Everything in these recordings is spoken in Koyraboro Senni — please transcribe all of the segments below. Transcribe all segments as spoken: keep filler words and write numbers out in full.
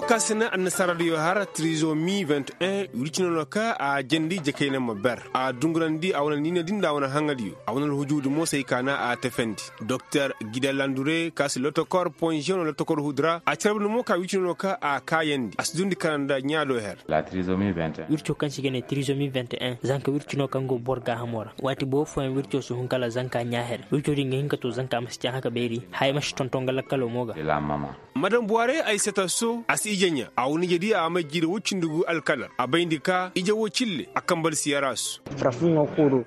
Ka si na annasaara diyo har trizomi vingt un wirci no no ka a jandi jakayna ma ber a dungurandi a wane niina di nda a wane haŋa diyo. A wane alhujuudi mo se ay ka na a tefendi doktor gida landure ka si lotokor ponziyano lotokor huudi ra a carabandi mo ka wirci no no ka a kaayandi a si dundi kana nda ɲaado her. Wirco kaŋ se i ga ne trizomi vingt un zanka wirci no kaŋ go boro gaahamo ra. Waati boobo fooyaŋ wirco si hun kala zanka ɲaa her wirco din ga hin ka to zanka ma si caŋ haka beeri haya ma si tonton ga lakkalo mo ga. Madam buware ay seta so a si ije ɲaa a wane ije di a may jiiri woy cindi gu alkalar a bayndi ka ije wo cille a kambal si yarasu.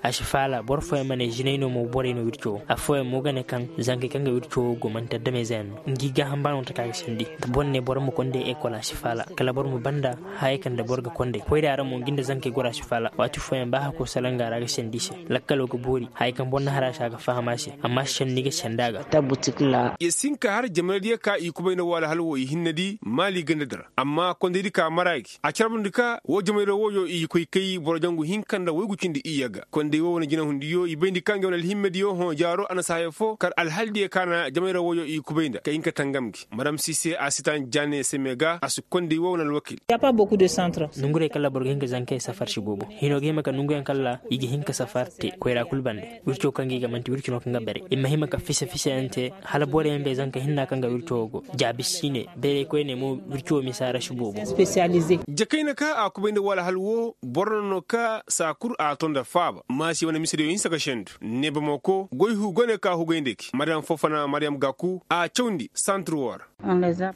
A si faala boro fooyaŋ ma ne zinay no mo borey no wirco wo affooyaŋ mo ga ne kaŋ zankey kaŋ ga wirco wo go manti adamey zey yaŋ no ngi gaaham ba no taka ga sandi. Boro ne boro ma konday ekol a si faala kala boro ma banda. Hayey kaŋ nda boro ga konday koyra ra mo ngi nda zankey goro a si faala waati fooyaŋ ba hako salanga ra ga sandi i se. Lakkalo ga boori hayey kaŋ boro na har a se a ga faham a se amma senni ga sandi a ga. Ya si hin ka har jamanadiyo ka i kubay nda woo alhal woo i hinne di maali ganda di ra amma kondaydi ka mara gi a carbundi ka woo jamanadiyo wooyo i koy kay boro jangu hinka nda woygu cindi iyye ga konday woo wane jinahundiyo i bayndi ka nge wane alhimmediyo hõ jaaro a na si haya foo kar alhaldiyo ka na jamanadiyo wooyo i kubay nda ka hin ka tangam gi madam sise a si taŋ jaane seme ga a si konday woo wane alwakil. Nongurey kaŋ ra boro ga hin ka zankey safar si boobo hino ga hima ka nonguyaŋ kaŋ ra i ga hin ka safar te koyra kul bande wirco kaŋ ga i ga manti wirco no kaŋ ga bare i ma hima ka fisa fisayaŋ te. Hala borey yaŋ bay zanka hinna kaŋ ga wirco wo go jaabi si ne bayraykoyney mo wirco wo misa ra si boobo. Jakayna ka a kubay nda woo alhal woo boro no no ka saa kul a to nda faaba maasi wane misediyo hinsa ka sendu neebamako goy hu gone ka hugay nda gi madam fofona mariyam gaku a cawndi santur woo ra.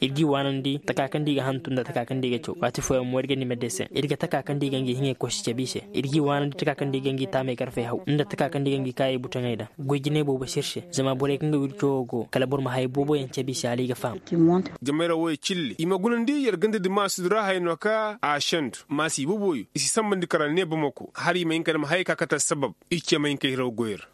Ir g'i waanandi taka kaŋ da i ga hantum nda taka kaŋ da i ga caw waati fooyaŋ mo ir ga ni medeseŋ ir ga taka kaŋ da i ga ngi hiŋey kosi cabe i se. Ir g'i waanandi taka kaŋ da i ga ngi taamey karfey haw nda taka kaŋ da i ga ngi kaayey butaŋey daŋ goy jinay boobo si ir se zama borey kaŋ ga wirco wo go kala boro ma hayey booboyaŋ cabe i se hala i ga faham. Jamayra wooyo cilli i ma gunandi yer ganda di maasudi ra haya no ka a sendu maasi booboyo i si sambandi kara ne bamako hala i ma hin ka dam hayey ka kate assabab. I ce ma hin ka hiraw goy ra.